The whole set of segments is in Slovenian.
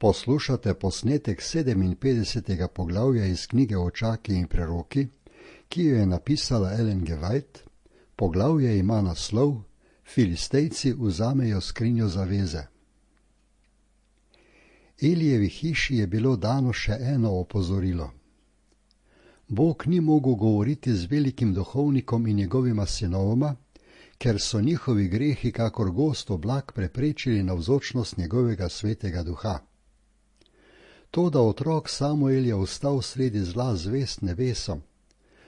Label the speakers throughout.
Speaker 1: Poslušate posnetek 57. poglavja iz knjige Očaki in preroki, ki jo je napisala Ellen G. White. Poglavje ima naslov Filistejci vzamejo skrinjo zaveze. Elijevi hiši je bilo dano še eno opozorilo. Bog ni mogel govoriti z velikim duhovnikom in njegovima sinovoma, ker so njihovi grehi kakor gost oblak preprečili navzočnost njegovega svetega duha. To, da otrok Samuel je ostal sredi zla zvest nebesom,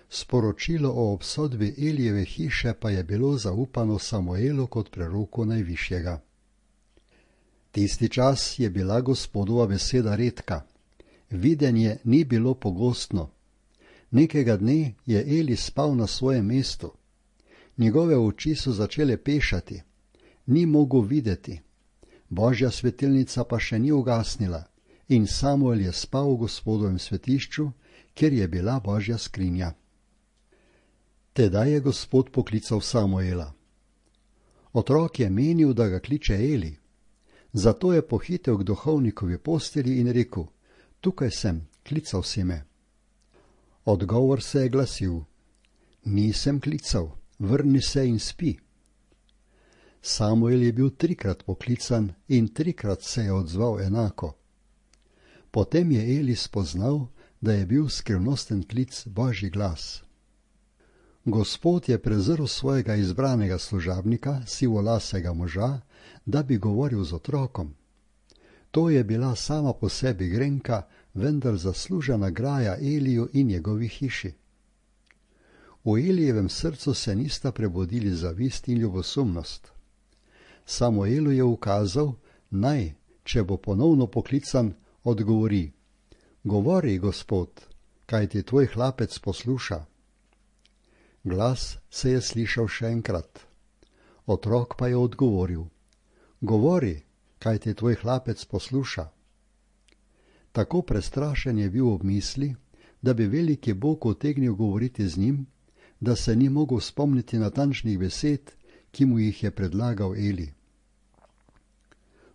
Speaker 1: sporočilo o obsodbi Elijeve hiše pa je bilo zaupano Samuelu kot preroku najvišjega. Tisti čas je bila Gospodova beseda redka, videnje ni bilo pogostno. Nekega dne je Eli spal na svojem mestu. Njegove oči so začele pešati, ni mogel videti. Božja svetilnica pa še ni ugasnila in Samuel je spal v Gospodovem svetišču, kjer je bila Božja skrinja. Tedaj je Gospod poklical Samuela. Otrok je menil, da ga kliče Eli. Zato je pohitel k duhovnikovi postelji in rekel: Tukaj sem, klical si me. Odgovor se je glasil: Nisem klical, vrni se in spi. Samuel je bil 3krat poklican in 3krat se je odzval enako. Potem je Eli spoznal, da je bil skrivnosten klic Božji glas. Gospod je prezrl svojega izbranega služabnika, sivolasega moža, da bi govoril z otrokom. To je bila sama po sebi grenka, vendar zaslužena graja Eliju in njegovi hiši. V Elijevem srcu se nista prebudili zavist in ljubosumnost. Samuelu je ukazal, naj, če bo ponovno poklican, odgovori: Govori, Gospod, kajti tvoj hlapec posluša. Glas se je slišal še enkrat. Otrok pa je odgovoril: Govori, kajti tvoj hlapec posluša. Tako prestrašen je bil ob misli, da bi veliki Bog utegnil govoriti z njim, da se ni mogel spomniti natančnih besed, ki mu jih je predlagal Eli.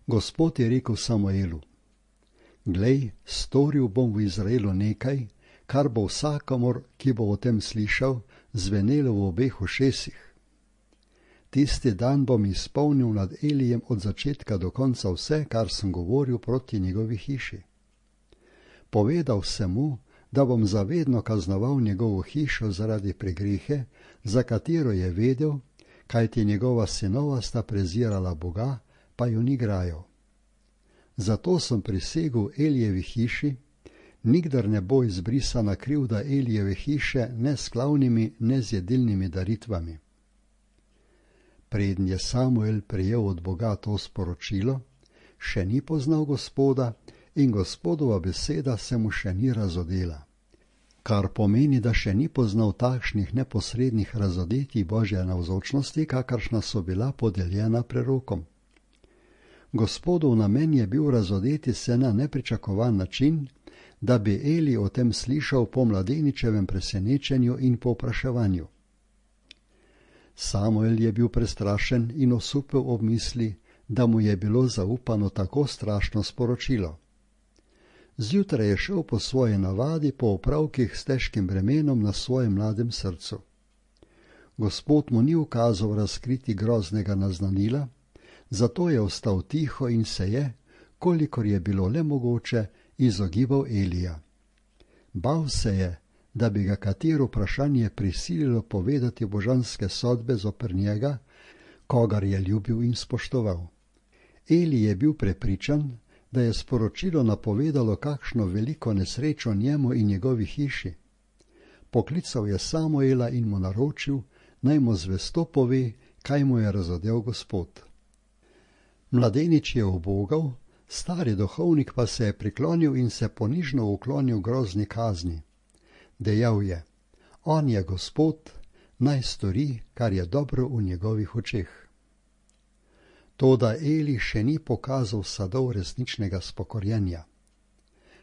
Speaker 1: Gospod je rekel Samuelu: Glej, storil bom v Izraelu nekaj, kar bo vsakomur, ki bo o tem slišal, zvenelo v obeh ušesih. Tisti dan bom izpolnil nad Elijem od začetka do konca vse, kar sem govoril proti njegovi hiši. Povedal sem mu, da bom zavedno kaznoval njegovo hišo zaradi pregrehe, za katero je vedel, kajti njegova sinova sta prezirala Boga, pa ju ni grajal. Zato sem prisegel Elijevi hiši, nikdar ne bo izbrisana krivda Elijeve hiše ne s klavnimi, ne z jedilnimi daritvami. Preden je Samuel prejel od Boga to sporočilo, še ni poznal Gospoda in Gospodova beseda se mu še ni razodela. Kar pomeni, da še ni poznal takšnih neposrednih razodetij Božje navzočnosti, kakršna so bila podeljena prerokom. Gospodov namen je bil razodeti se na nepričakovan način, da bi Eli o tem slišal po mladeničevem presenečenju in povpraševanju. Samuel je bil prestrašen in osupel ob misli, da mu je bilo zaupano tako strašno sporočilo. Zjutraj je šel po svoji navadi po opravkih s težkim bremenom na svojem mladem srcu. Gospod mu ni ukazal razkriti groznega naznanila, zato je ostal tiho in se je, kolikor je bilo le mogoče, izogibal Elija. Bal se je, da bi ga katero vprašanje prisililo povedati božanske sodbe zoper njega, kogar je ljubil in spoštoval. Eli je bil prepričan, da je sporočilo napovedalo kakšno veliko nesrečo njemu in njegovi hiši. Poklical je Samuela in mu naročil, naj mu zvesto pove, kaj mu je razodel Gospod. Mladenič je ubogal, stari duhovnik pa se je priklonil in se ponižno uklonil grozni kazni. Dejal je: On je Gospod, naj stori, kar je dobro v njegovih očeh. Toda Eli še ni pokazal sadov resničnega spokorjenja.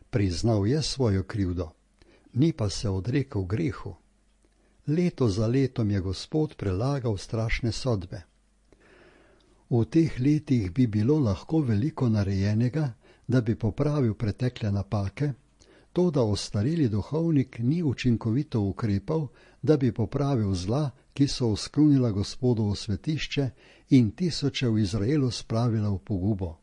Speaker 1: Priznal je svojo krivdo, ni pa se odrekel grehu. Leto za letom je Gospod prelagal strašne sodbe. V teh letih bi bilo lahko veliko narejenega, da bi popravil pretekle napake, toda ostareli duhovnik ni učinkovito ukrepal, da bi popravil zla, ki so oskrunila Gospodovo svetišče in tisoče v Izraelu spravila v pogubo.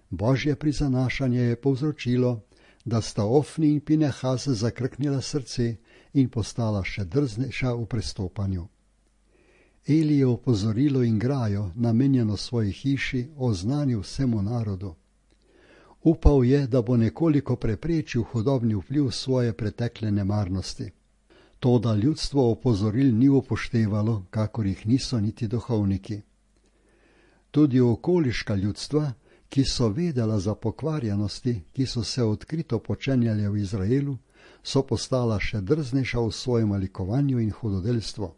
Speaker 1: Božje prizanašanje je povzročilo, da sta Ofni in Pinehas zakrknila srce in postala še drznejša v prestopanju. Eli je opozorilo in grajo, namenjeno svoji hiši, oznanil vsemu narodu. Upal je, da bo nekoliko preprečil hudobni vpliv svoje pretekle nemarnosti. Toda ljudstvo opozoril ni upoštevalo, kakor jih niso niti duhovniki. Tudi okoliška ljudstva, ki so vedela za pokvarjenosti, ki so se odkrito počenjale v Izraelu, so postala še drznejša v svojem malikovanju in hudodelstvu.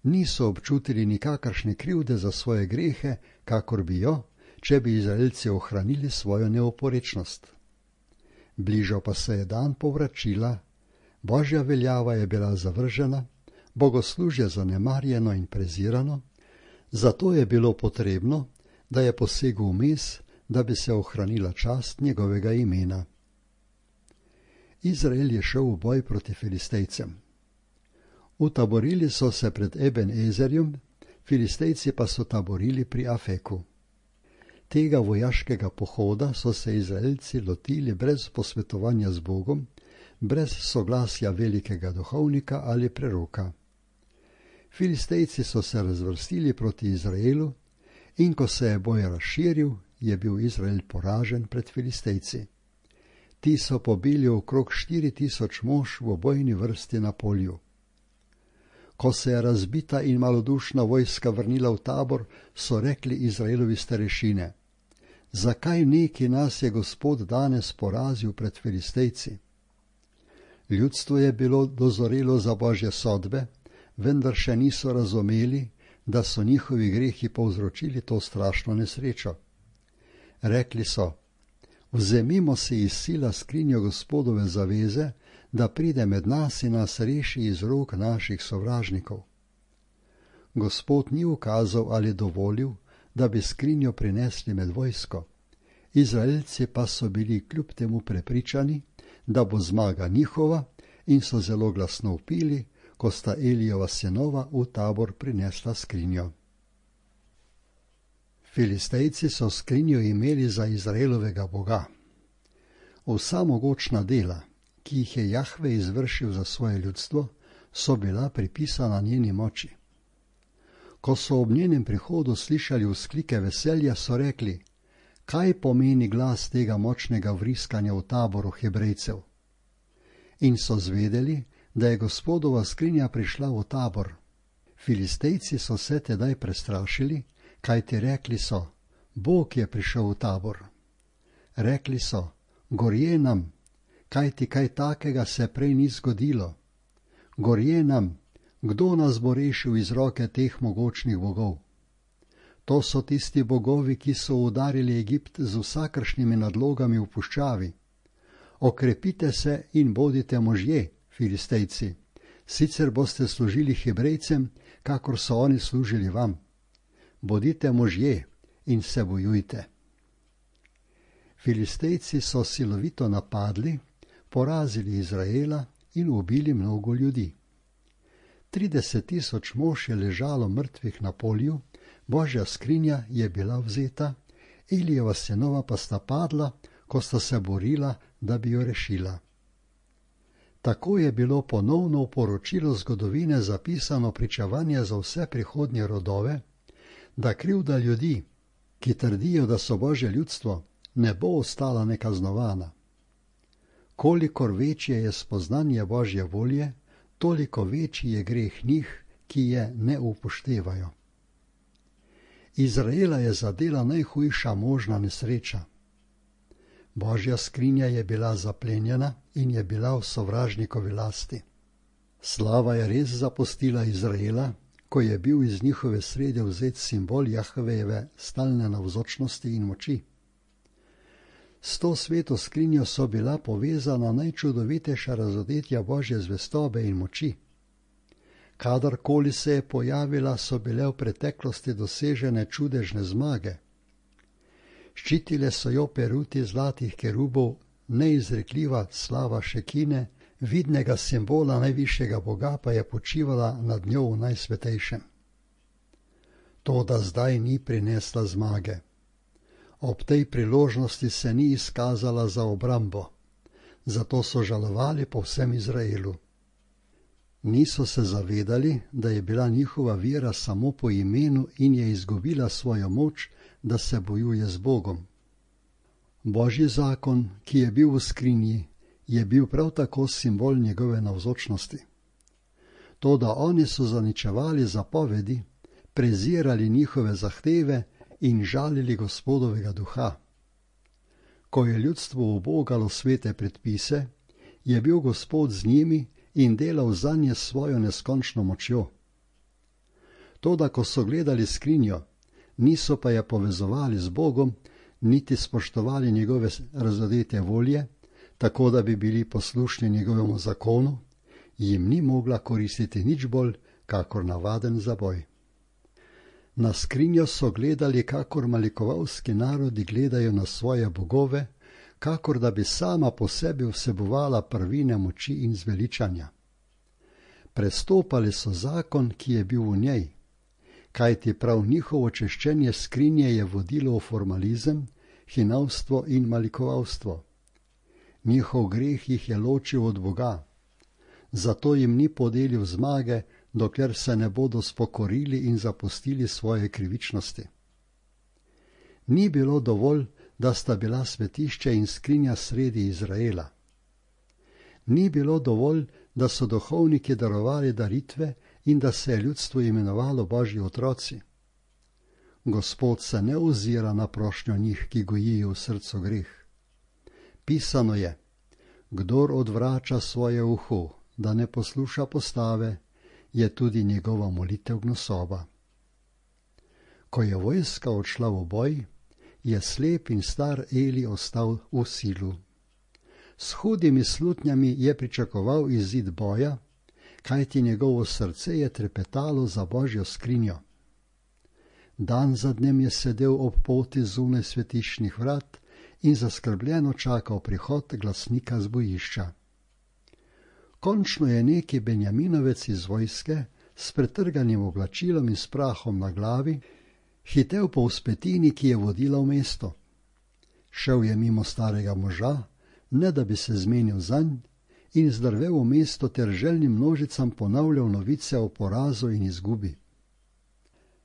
Speaker 1: Niso občutili nikakršne krivde za svoje grehe, kakor bi jo, če bi Izraelci ohranili svojo neoporečnost. Bližal pa se je dan povračila, Božja veljava je bila zavržena, bogoslužje zanemarjeno in prezirano, zato je bilo potrebno, da je posegel vmes, da bi se ohranila čast njegovega imena. Izrael je šel v boj proti Filistejcem. Utaborili so se pred Eben Ezerjem, Filistejci pa so taborili pri Afeku. Tega vojaškega pohoda so se Izraelci lotili brez posvetovanja z Bogom, brez soglasja velikega duhovnika ali preroka. Filistejci so se razvrstili proti Izraelu in ko se je boj razširil, je bil Izrael poražen pred Filistejci. Ti so pobili okrog 4000 mož v bojni vrsti na polju. Ko se je razbita in malodušna vojska vrnila v tabor, so rekli Izraelovi starešine: zakaj neki nas je Gospod danes porazil pred Filistejci? Ljudstvo je bilo dozorelo za Božje sodbe, vendar še niso razumeli, da so njihovi grehi povzročili to strašno nesrečo. Rekli so: vzemimo si iz sila skrinjo Gospodove zaveze, da pride med nas in nas reši iz rok naših sovražnikov. Gospod ni ukazal ali dovolil, da bi skrinjo prinesli med vojsko. Izraelci pa so bili kljub temu prepričani, da bo zmaga njihova, in so zelo glasno vpili, ko sta Elijeva sinova v tabor prinesla skrinjo. Filistejci so skrinjo imeli za Izraelovega Boga. Vsa mogočna dela, ki jih je Jahve izvršil za svoje ljudstvo, so bila pripisana njeni moči. Ko so ob njenem prihodu slišali vzklike veselja, so rekli: kaj pomeni glas tega močnega vriskanja v taboru Hebrejcev? In so zvedeli, da je Gospodova skrinja prišla v tabor. Filistejci so se tedaj prestrašili, kajti rekli so: Bog je prišel v tabor. Rekli so: gorje nam, kajti kaj takega se prej ni zgodilo. Gorje nam, kdo nas bo rešil iz roke teh mogočnih bogov? To so tisti bogovi, ki so udarili Egipt z vsakršnimi nadlogami v puščavi. Okrepite se in bodite možje, Filistejci, sicer boste služili Hebrejcem, kakor so oni služili vam. Bodite možje in se bojujte. Filistejci so silovito napadli, porazili Izraela in ubili mnogo ljudi. 30 000 mož je ležalo mrtvih na polju, Božja skrinja je bila vzeta, Elijeva sinova pa sta padla, ko sta se borila, da bi jo rešila. Tako je bilo ponovno v poročilu zgodovine zapisano pričevanje za vse prihodnje rodove, da krivda ljudi, ki trdijo, da so Božje ljudstvo, ne bo ostala nekaznovana. Kolikor večje je spoznanje Božje volje, toliko večji je greh njih, ki je ne upoštevajo. Izraela je zadela najhujša možna nesreča. Božja skrinja je bila zaplenjena in je bila v sovražnikovi lasti. Slava je res zapustila Izraela, ko je bil iz njihove srede vzet simbol Jahvejeve stalne navzočnosti in moči. S to sveto skrinjo so bila povezana najčudovitejša razodetja Božje zvestobe in moči. Kadarkoli se je pojavila, so bile v preteklosti dosežene čudežne zmage. Ščitile so jo peruti zlatih kerubov, neizrekljiva slava Šekine, vidnega simbola najvišjega Boga pa je počivala nad njo v najsvetejšem. Toda zdaj ni prinesla zmage. Ob tej priložnosti se ni izkazala za obrambo, zato so žalovali po vsem Izraelu. Niso se zavedali, da je bila njihova vera samo po imenu in je izgubila svojo moč, da se bojuje z Bogom. Božji zakon, ki je bil v skrinji, je bil prav tako simbol njegove navzočnosti. Toda oni so zaničevali zapovedi, prezirali njihove zahteve in žalili Gospodovega duha. Ko je ljudstvo ubogalo svete predpise, je bil Gospod z njimi in delal zanje svojo neskončno močjo. Toda ko so gledali skrinjo, niso pa je povezovali z Bogom, niti spoštovali njegove razodete volje, tako da bi bili poslušni njegovemu zakonu, jim ni mogla koristiti nič bolj, kakor navaden zaboj. Na skrinjo so gledali, kakor malikovalski narodi gledajo na svoje bogove, kakor da bi sama po sebi vsebovala prvine moči in zveličanja. Prestopali so zakon, ki je bil v njej, kajti prav njihovo češčenje skrinje je vodilo v formalizem, hinavstvo in malikovalstvo. Njihov greh jih je ločil od Boga, zato jim ni podelil zmage, dokler se ne bodo spokorili in zapustili svoje krivičnosti. Ni bilo dovolj, da sta bila svetišče in skrinja sredi Izraela. Ni bilo dovolj, da so duhovniki darovali daritve in da se je ljudstvo imenovalo Božji otroci. Gospod se ne ozira na prošnjo njih, ki gojijo v srcu greh. Pisano je: kdor odvrača svoje uho, da ne posluša postave, je tudi njegova molitev gnusoba. Ko je vojska odšla v boj, je slep in star Eli ostal v silu. S hudimi slutnjami je pričakoval izid boja, kajti njegovo srce je trepetalo za Božjo skrinjo. Dan za dnem je sedel ob poti zunaj svetiščnih vrat in zaskrbljeno čakal prihod glasnika z bojišča. Končno je neki Benjaminovec iz vojske s pretrganim oblačilom in s prahom na glavi hitel po vzpetini, ki je vodila v mesto. Šel je mimo starega moža, ne da bi se zmenil zanj, in zdrvel v mesto ter željnim množicam ponavljal novice o porazu in izgubi.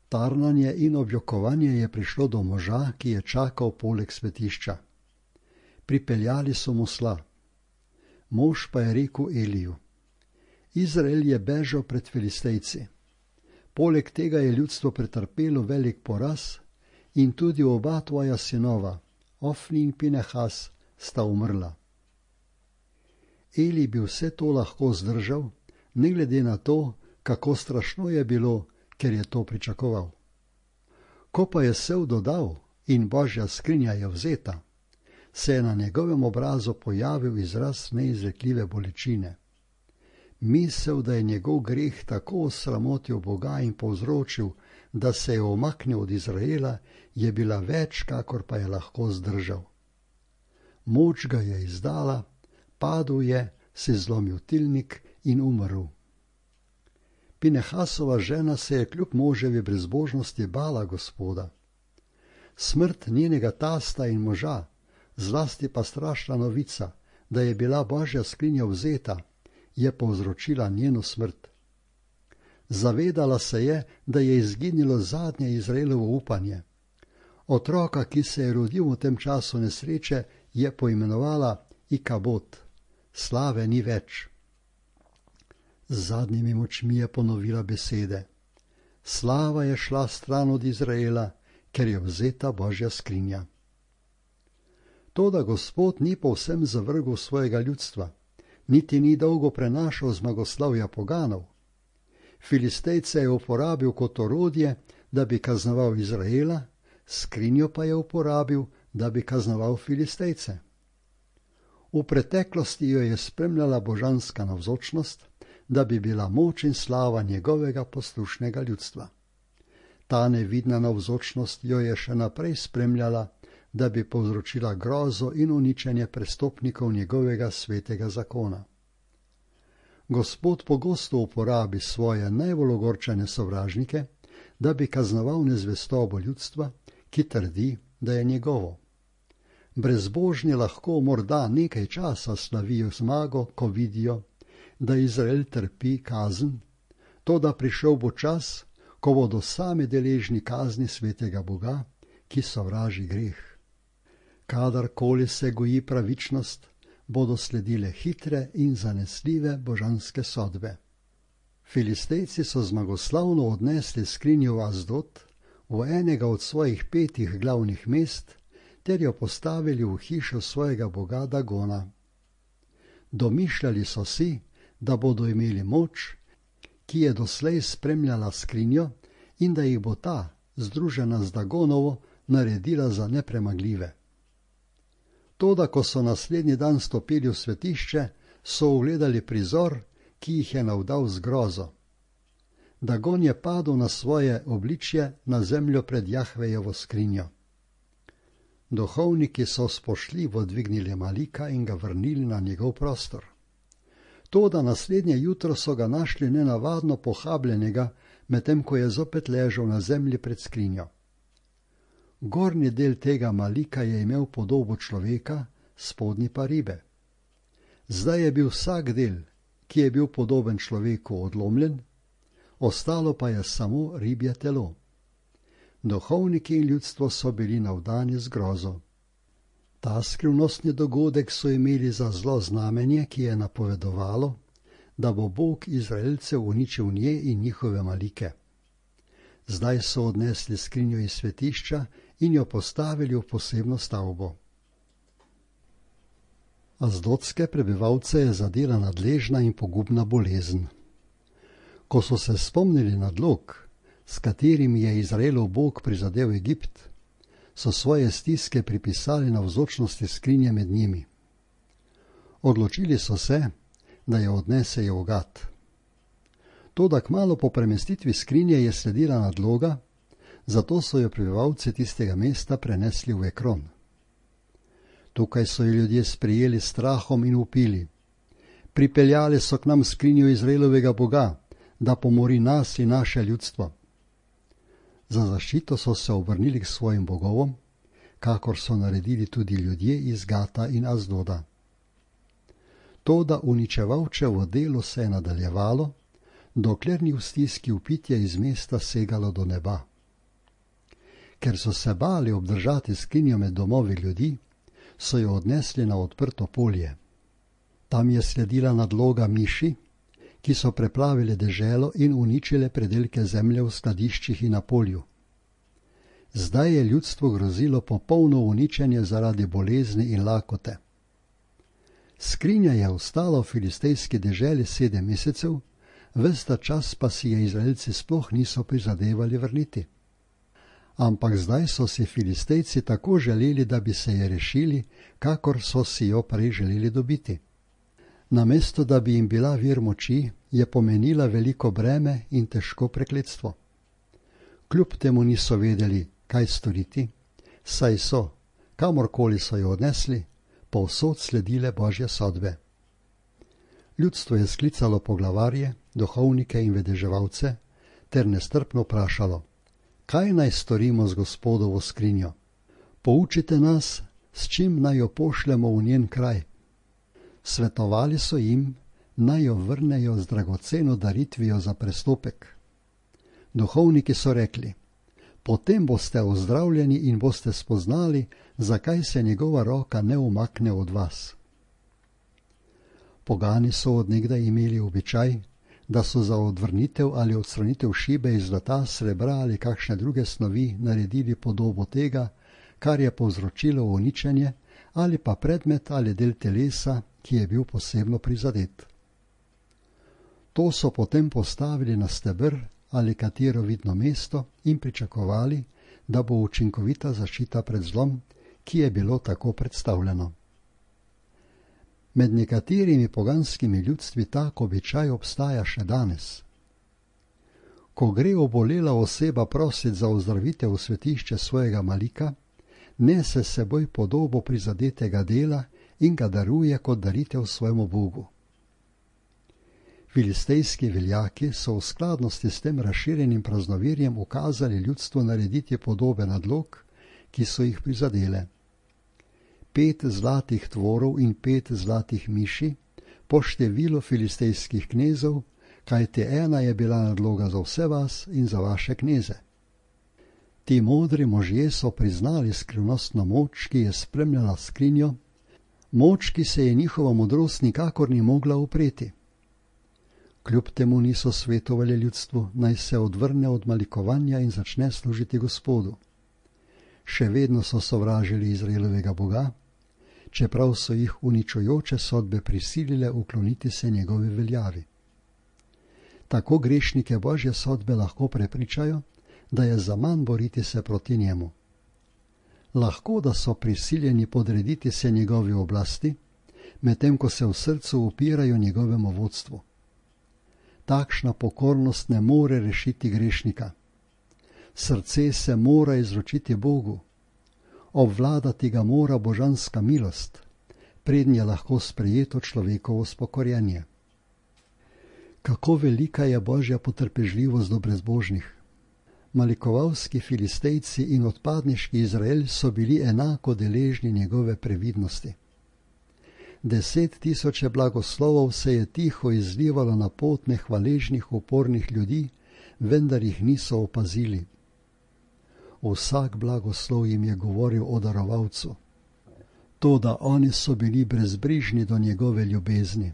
Speaker 1: Tarnanje in objokovanje je prišlo do moža, ki je čakal poleg svetišča. Pripeljali so mu sla. Mož pa je rekel Eliju: Izrael je bežal pred Filistejci. Poleg tega je ljudstvo pretrpelo velik poraz in tudi oba tvoja sinova, Ofni in Pinehas, sta umrla. Eli bi vse to lahko zdržal, ne glede na to, kako strašno je bilo, ker je to pričakoval. Ko pa je sev dodal in Božja skrinja je vzeta, se je na njegovem obrazu pojavil izraz neizrekljive bolečine. Misel, da je njegov greh tako osramotil Boga in povzročil, da se je omaknil od Izraela, je bila več, kakor pa je lahko zdržal. Moč ga je izdala, padel je, si zlomil tilnik in umrl. Pinehasova žena se je kljub moževi brezbožnosti bala Gospoda. Smrt njenega tasta in moža, zlasti pa strašna novica, da je bila Božja skrinja vzeta, je povzročila njeno smrt. Zavedala se je, da je izginilo zadnje Izraelovo upanje. Otroka, ki se je rodil v tem času nesreče, je poimenovala Ikabod, slave ni več. Z zadnjimi močmi je ponovila besede: slava je šla stran od Izraela, ker je vzeta Božja skrinja. Toda Gospod ni povsem zavrgel svojega ljudstva, niti ni dolgo prenašal zmagoslavja poganov. Filistejce je uporabil kot orodje, da bi kaznoval Izraela, skrinjo pa je uporabil, da bi kaznoval Filistejce. V preteklosti jo je spremljala božanska navzočnost, da bi bila moč in slava njegovega poslušnega ljudstva. Ta nevidna navzočnost jo je še naprej spremljala, da bi povzročila grozo in uničenje prestopnikov njegovega svetega zakona. Gospod pogosto uporabi svoje najbolj ogorčene sovražnike, da bi kaznoval nezvestobo ljudstva, ki trdi, da je njegovo. Brezbožni lahko morda nekaj časa slavijo zmago, ko vidijo, da Izrael trpi kazen, toda prišel bo čas, ko bodo sami deležni kazni svetega Boga, ki sovraži greh. Kadarkoli se goji pravičnost, bodo sledile hitre in zanesljive božanske sodbe. Filistejci so zmagoslavno odnesli skrinjo v Asdod, v enega od svojih 5 glavnih mest, ter jo postavili v hišo svojega boga Dagona. Domišljali so si, da bodo imeli moč, ki je doslej spremljala skrinjo, in da jih bo ta, združena z Dagonovo, naredila za nepremagljive. Toda, ko so naslednji dan stopili v svetišče, so ugledali prizor, ki jih je navdal z grozo. Dagon je padel na svoje obličje na zemljo pred Jahvejevo skrinjo. Duhovniki so spoštljivo dvignili Malika in ga vrnili na njegov prostor. Toda naslednje jutro so ga našli nenavadno pohabljenega, medtem ko je zopet ležal na zemlji pred skrinjo. Gornji del tega Malika je imel podobo človeka, spodnji pa ribe. Zdaj je bil vsak del, ki je bil podoben človeku, odlomljen, ostalo pa je samo ribje telo. Duhovniki in ljudstvo so bili navdani z grozo. Ta skrivnostni dogodek so imeli za zlo znamenje, ki je napovedovalo, da bo Bog Izraelcev uničil nje in njihove malike. Zdaj so odnesli skrinjo iz svetišča in jo postavili v posebno stavbo. Asdodske prebivalce je zadela nadležna in pogubna bolezen. Ko so se spomnili nadlog, s katerim je Izraelov Bog prizadel Egipt, so svoje stiske pripisali navzočnosti skrinje med njimi. Odločili so se, da jo odnesejo v Gat. Toda kmalu po premestitvi skrinje je sledila nadloga, zato so jo prebivalci tistega mesta prenesli v Ekron. Tukaj so jo ljudje sprejeli s strahom in vpili: pripeljali so k nam skrinjo Izraelovega Boga, da pomori nas in naše ljudstvo. Za zaščito so se obrnili k svojim bogovom, kakor so naredili tudi ljudje iz Gata in Asdoda. Toda uničevalčevo delo se je nadaljevalo, dokler ni v stiski vpitje iz mesta segalo do neba. Ker so se bali obdržati skrinjo med domovi ljudi, so jo odnesli na odprto polje. Tam je sledila nadloga miši, ki so preplavile deželo in uničile predelke zemlje v skladiščih in na polju. Zdaj je ljudstvo grozilo popolno uničenje zaradi bolezni in lakote. Skrinja je ostala v filistejski deželi 7 mesecev, ves ta čas pa si je Izraelci sploh niso prizadevali vrniti. Ampak zdaj so si Filistejci tako želeli, da bi se je rešili, kakor so si jo prej želeli dobiti. Namesto da bi jim bila vir moči, je pomenila veliko breme in težko prekletstvo. Kljub temu niso vedeli, kaj storiti, saj so, kamorkoli so jo odnesli, povsod sledile Božje sodbe. Ljudstvo je sklicalo poglavarje, duhovnike in vedeževalce ter nestrpno vprašalo: kaj naj storimo z Gospodovo skrinjo? Poučite nas, s čim naj jo pošljemo v njen kraj. Svetovali so jim, naj jo vrnejo z dragoceno daritvijo za prestopek. Duhovniki so rekli: potem boste ozdravljeni in boste spoznali, zakaj se njegova roka ne umakne od vas. Pogani so od nekdaj imeli običaj, da so za odvrnitev ali odstranitev šibe iz zlata, srebra ali kakšne druge snovi naredili podobo tega, kar je povzročilo uničenje, ali pa predmet ali del telesa, ki je bil posebno prizadet. To so potem postavili na steber ali katero vidno mesto in pričakovali, da bo učinkovita zaščita pred zlom, ki je bilo tako predstavljeno. Med nekaterimi poganskimi ljudstvi tak običaj obstaja še danes. Ko gre obolela oseba prosit za ozdravitev v svetišče svojega malika, nese s seboj podobo prizadetega dela in ga daruje kot daritev svojemu Bogu. Filistejski veljaki so v skladnosti s tem razširjenim praznoverjem ukazali ljudstvu narediti podobe nadlog, ki so jih prizadele. 5 zlatih tvorov in 5 zlatih miši, po številu filistejskih knezov, kajti ena je bila nadloga za vse vas in za vaše kneze. Ti modri možje so priznali skrivnostno moč, ki je spremljala skrinjo, moč, ki se je njihova modrost nikakor ni mogla upreti. Kljub temu niso svetovali ljudstvu, naj se odvrne od malikovanja in začne služiti Gospodu. Še vedno so sovražili Izraelovega Boga, čeprav so jih uničujoče sodbe prisilile ukloniti se njegovi veljavi. Tako grešnike Božje sodbe lahko prepričajo, da je zaman boriti se proti njemu. Lahko, da so prisiljeni podrediti se njegovi oblasti, medtem ko se v srcu upirajo njegovemu vodstvu. Takšna pokornost ne more rešiti grešnika. Srce se mora izročiti Bogu. Obvladati ga mora božanska milost, prednje je lahko sprejeto človekovo spokorjenje. Kako velika je Božja potrpežljivost do brezbožnih. Malikovalski Filistejci in odpadniški Izrael so bili enako deležni njegove previdnosti. 10 000 blagoslovov se je tiho izlivalo na pot nehvaležnih upornih ljudi, vendar jih niso opazili. Vsak blagoslov jim je govoril o darovalcu. Toda oni so bili brezbrižni do njegove ljubezni.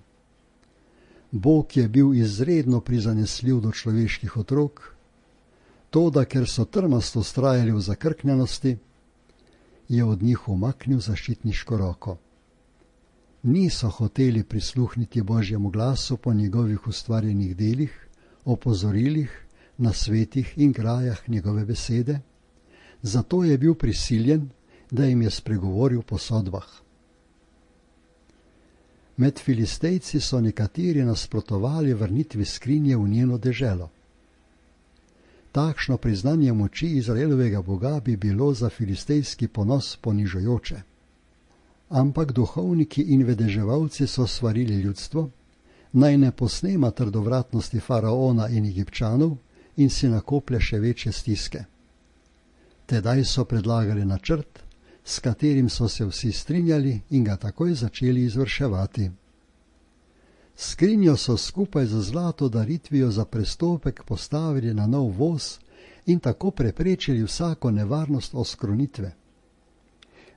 Speaker 1: Bog je bil izredno prizanesljiv do človeških otrok, toda ker so trmasto vztrajali v zakrknjenosti, je od njih umaknil zaščitniško roko. Niso hoteli prisluhniti Božjemu glasu po njegovih ustvarjenih delih, opozorilih, nasvetih in grajah njegove besede, zato je bil prisiljen, da jim je spregovoril po sodbah. Med Filistejci so nekateri nasprotovali vrnitvi skrinje v njeno deželo. Takšno priznanje moči Izraelovega Boga bi bilo za filistejski ponos ponižujoče. Ampak duhovniki in vedeževalci so svarili ljudstvo, naj ne posnema trdovratnosti faraona in Egipčanov in si nakoplje še večje stiske. Tedaj so predlagali načrt, s katerim so se vsi strinjali in ga takoj začeli izvrševati. Skrinjo so skupaj z zlato daritvijo za prestopek postavili na nov voz in tako preprečili vsako nevarnost oskrunitve.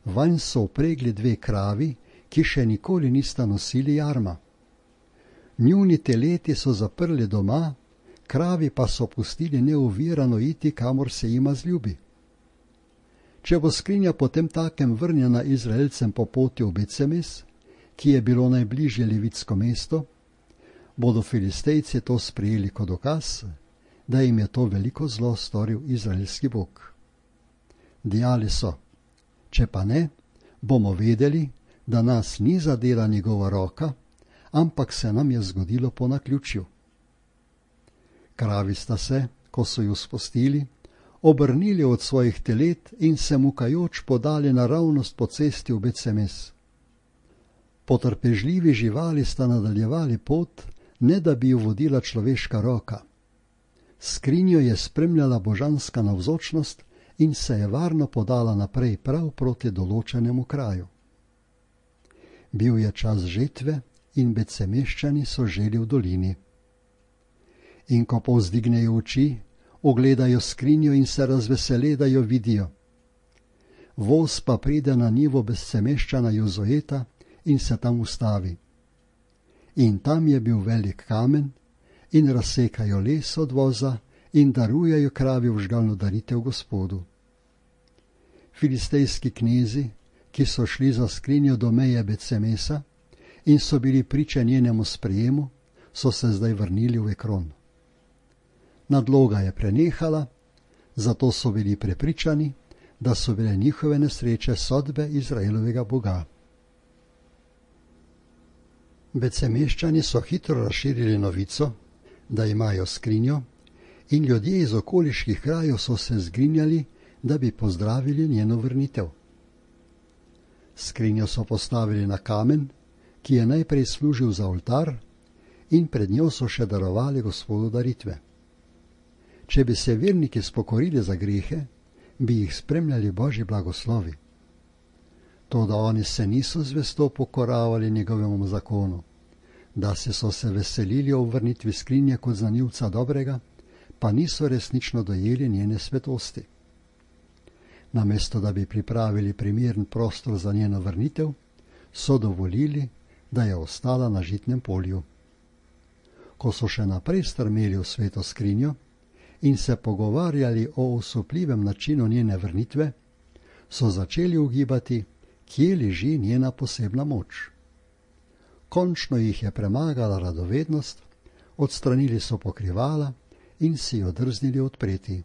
Speaker 1: Vanj so vpregli 2 kravi, ki še nikoli nista nosili jarma. Njuni teleti so zaprli doma, kravi pa so pustili neovirano iti, kamor se jima zljubi. Če bo skrinja potem takem vrnjena Izraelcem po poti v Betsemes, ki je bilo najbližje levitsko mesto, bodo Filistejci to sprejeli kot dokaz, da jim je to veliko zlo storil izraelski Bog. Dejali so, če pa ne, bomo vedeli, da nas ni zadela njegova roka, ampak se nam je zgodilo po naključju. Kravi sta se, ko so ju spustili, obrnili od svojih telet in se mukajoč podali naravnost po cesti v Betsemes. Potrpežljivi živali sta nadaljevali pot, ne da bi ju vodila človeška roka. Skrinjo je spremljala božanska navzočnost in se je varno podala naprej prav proti določenemu kraju. Bil je čas žetve in Betsemeščani so želi v dolini. In ko povzdignejo oči, ogledajo skrinjo in se razvesele, da jo vidijo. Voz pa pride na njivo Betsemeščana Jozoeta in se tam ustavi. In tam je bil velik kamen in razsekajo les od voza in darujejo kravi vžgalno daritev Gospodu. Filistejski knezi, ki so šli za skrinjo do meje Betsemesa in so bili priče njenemu sprejemu, so se zdaj vrnili v Ekron. Nadloga je prenehala, zato so bili prepričani, da so bile njihove nesreče sodbe Izraelovega Boga. Betsemeščani so hitro razširili novico, da imajo skrinjo, in ljudje iz okoliških krajev so se zgrinjali, da bi pozdravili njeno vrnitev. Skrinjo so postavili na kamen, ki je najprej služil za oltar, in pred njo so še darovali Gospodu daritve. Če bi se verniki spokorili za grehe, bi jih spremljali Božji blagoslovi. Toda oni se niso zvesto pokoravali njegovemu zakonu, da so se veselili o vrnitvi skrinje kot znanilca dobrega, pa niso resnično dojeli njene svetosti. Namesto da bi pripravili primeren prostor za njeno vrnitev, so dovolili, da je ostala na žitnem polju. Ko so še naprej strmeli v sveto skrinjo in se pogovarjali o osupljivem načinu njene vrnitve, so začeli ugibati, kje leži njena posebna moč. Končno jih je premagala radovednost, odstranili so pokrivala in si jo drznili odpreti.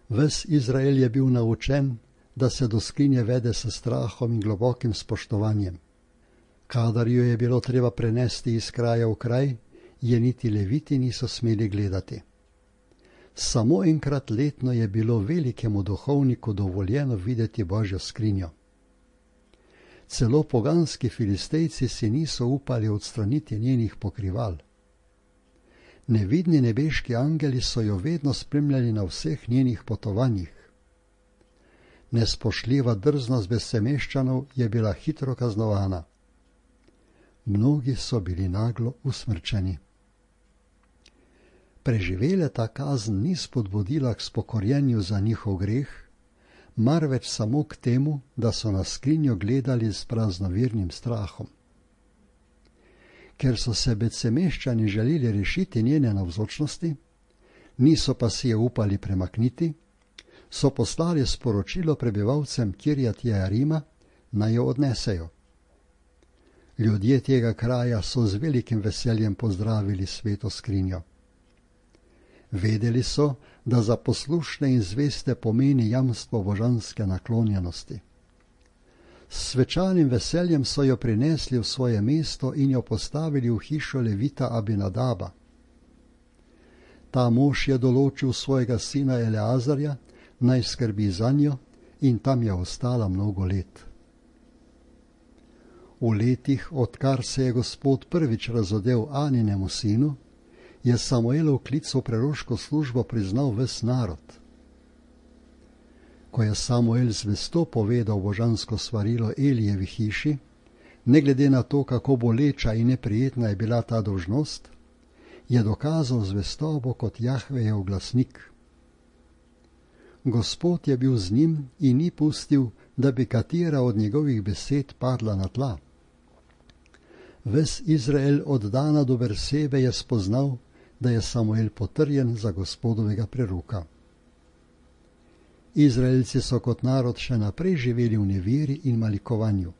Speaker 1: Ves Izrael je bil naučen, da se do skrinje vede s strahom in globokim spoštovanjem. Kadar jo je bilo treba prenesti iz kraja v kraj, je niti leviti niso smeli gledati. Samo enkrat letno je bilo velikemu duhovniku dovoljeno videti Božjo skrinjo. Celo poganski Filistejci si niso upali odstraniti njenih pokrival. Nevidni nebeški angeli so jo vedno spremljali na vseh njenih potovanjih. Nespoštljiva drznost Besemeščanov je bila hitro kaznovana. Mnogi so bili naglo usmrčeni. Preživele ta kazen ni spodbudila k spokorjenju za njihov greh, marveč samo k temu, da so na skrinjo gledali s praznovernim strahom. Ker so se Besemeščani želeli rešiti njene navzočnosti, niso pa si je upali premakniti, so poslali sporočilo prebivalcem Kirjat Jearima, naj jo odnesejo. Ljudje tega kraja so z velikim veseljem pozdravili sveto skrinjo. Vedeli so, da za poslušne in zveste pomeni jamstvo božanske naklonjenosti. S svečanim veseljem so jo prinesli v svoje mesto in jo postavili v hišo levita Abinadaba. Ta mož je določil svojega sina Eleazarja, naj skrbi zanjo, in tam je ostala mnogo let. V letih, odkar se je Gospod prvič razodel Aninemu sinu, je Samuelov klic v preroško službo priznal ves narod. Ko je Samuel zvesto povedal božansko svarilo Elijevi hiši, ne glede na to, kako boleča in neprijetna je bila ta dolžnost, je dokazal zvestobo kot Jahvejev glasnik. Gospod je bil z njim in ni pustil, da bi katera od njegovih besed padla na tla. Ves Izrael od Dana do Bersebe je spoznal, da je Samuel potrjen za Gospodovega preroka. Izraelci so kot narod še naprej živeli v neveri in malikovanju.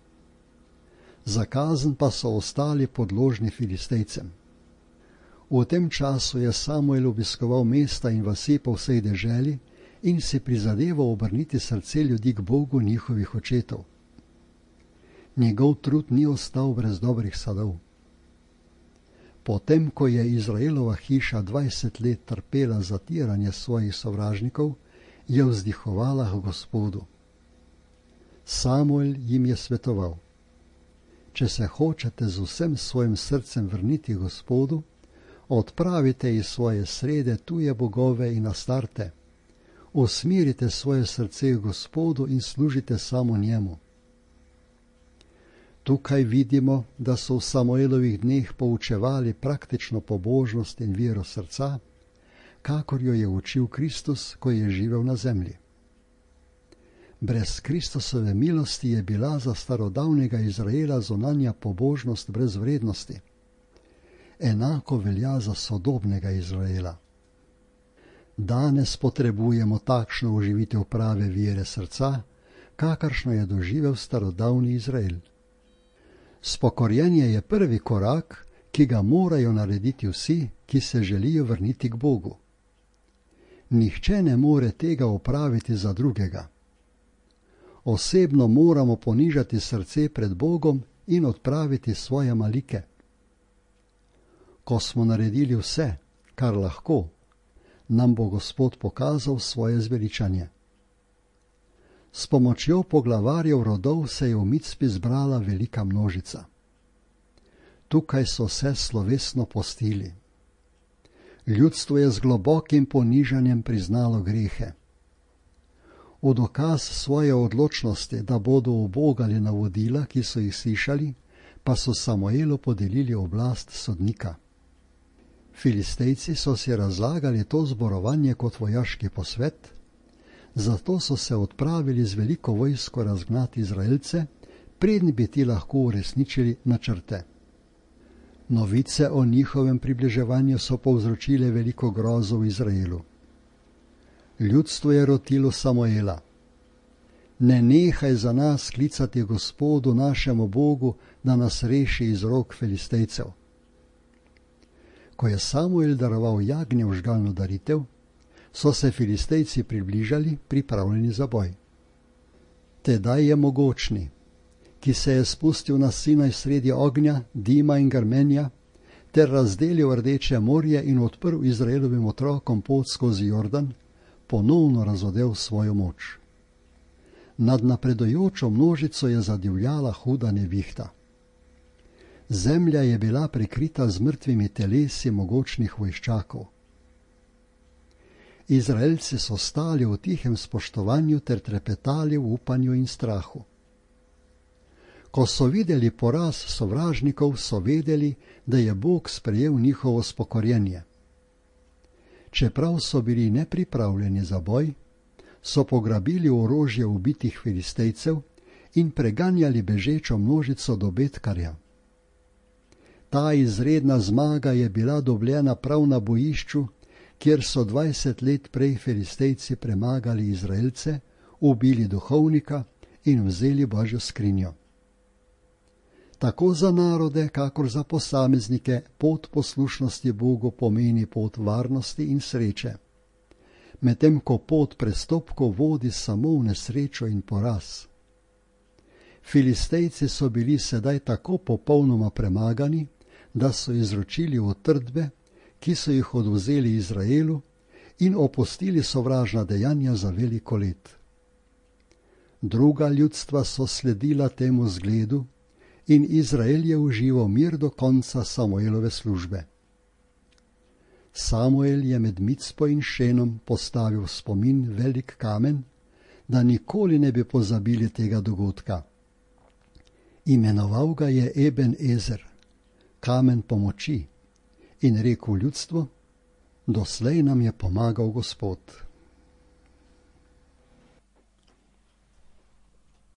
Speaker 1: Za kazen pa so ostali podložni Filistejcem. V tem času je Samuel obiskoval mesta in vasi po vsej deželi in si prizadeval obrniti srce ljudi k Bogu njihovih očetov. Njegov trud ni ostal brez dobrih sadov. Potem, ko je Izraelova hiša 20 let trpela zatiranje svojih sovražnikov, je vzdihovala k Gospodu. Samuel jim je svetoval: če se hočete z vsem svojim srcem vrniti Gospodu, odpravite iz svoje srede tuje bogove in astarte, usmerite svoje srce k Gospodu in služite samo njemu. Tukaj vidimo, da so v Samuelovih dneh poučevali praktično pobožnost in vero srca, kakor jo je učil Kristus, ko je živel na zemlji. Brez Kristusove milosti je bila za starodavnega Izraela zunanja pobožnost brez vrednosti. Enako velja za sodobnega Izraela. Danes potrebujemo takšno oživitev prave vere srca, kakršno je doživel starodavni Izrael. Spokorjenje je prvi korak, ki ga morajo narediti vsi, ki se želijo vrniti k Bogu. Nihče ne more tega opraviti za drugega. Osebno moramo ponižati srce pred Bogom in odpraviti svoje malike. Ko smo naredili vse, kar lahko, nam bo Gospod pokazal svoje zveličanje. S pomočjo poglavarjev rodov se je v Micpi zbrala velika množica. Tukaj so se slovesno postili. Ljudstvo je z globokim ponižanjem priznalo grehe. V dokaz svoje odločnosti, da bodo ubogali navodila, ki so jih slišali, pa so Samuelu podelili oblast sodnika. Filistejci so si razlagali to zborovanje kot vojaški posvet, zato so se odpravili z veliko vojsko razgnati Izraelce, preden bi ti lahko uresničili načrte. Novice o njihovem približevanju so povzročile veliko grozo v Izraelu. Ljudstvo je rotilo Samuela: ne nehaj za nas klicati Gospodu našemu Bogu, da nas reši iz rok Filistejcev. Ko je Samuel daroval jagnje v žgalno daritev, so se Filistejci približali, pripravljeni za boj. Tedaj je Mogočni, ki se je spustil na Sinaj sredi ognja, dima in grmenja, ter razdelil Rdeče morje in odprl Izraelovim otrokom pot skozi Jordan, ponovno razodel svojo moč. Nad napredujočo množico je zadivjala huda nevihta. Zemlja je bila prekrita z mrtvimi telesi mogočnih vojščakov. Izraelci so stali v tihem spoštovanju ter trepetali v upanju in strahu. Ko so videli poraz sovražnikov, so vedeli, da je Bog sprejel njihovo spokorjenje. Čeprav so bili nepripravljeni za boj, so pograbili orožje ubitih Filistejcev in preganjali bežečo množico do Betkarja. Ta izredna zmaga je bila dobljena prav na bojišču, kjer so 20 let prej Filistejci premagali Izraelce, ubili duhovnika in vzeli Božjo skrinjo. Tako za narode, kakor za posameznike, pot poslušnosti Bogu pomeni pot varnosti in sreče, medtem ko pot prestopkov vodi samo v nesrečo in poraz. Filistejci so bili sedaj tako popolnoma premagani, da so izročili utrdbe, ki so jih odvzeli Izraelu, in opustili sovražna dejanja za veliko let. Druga ljudstva so sledila temu zgledu in Izrael je užival mir do konca Samuelove službe. Samuel je med Micpo in Šenom postavil v spomin velik kamen, da nikoli ne bi pozabili tega dogodka. Imenoval ga je Eben Ezer, kamen pomoči, in rekel ljudstvu: doslej nam je pomagal Gospod.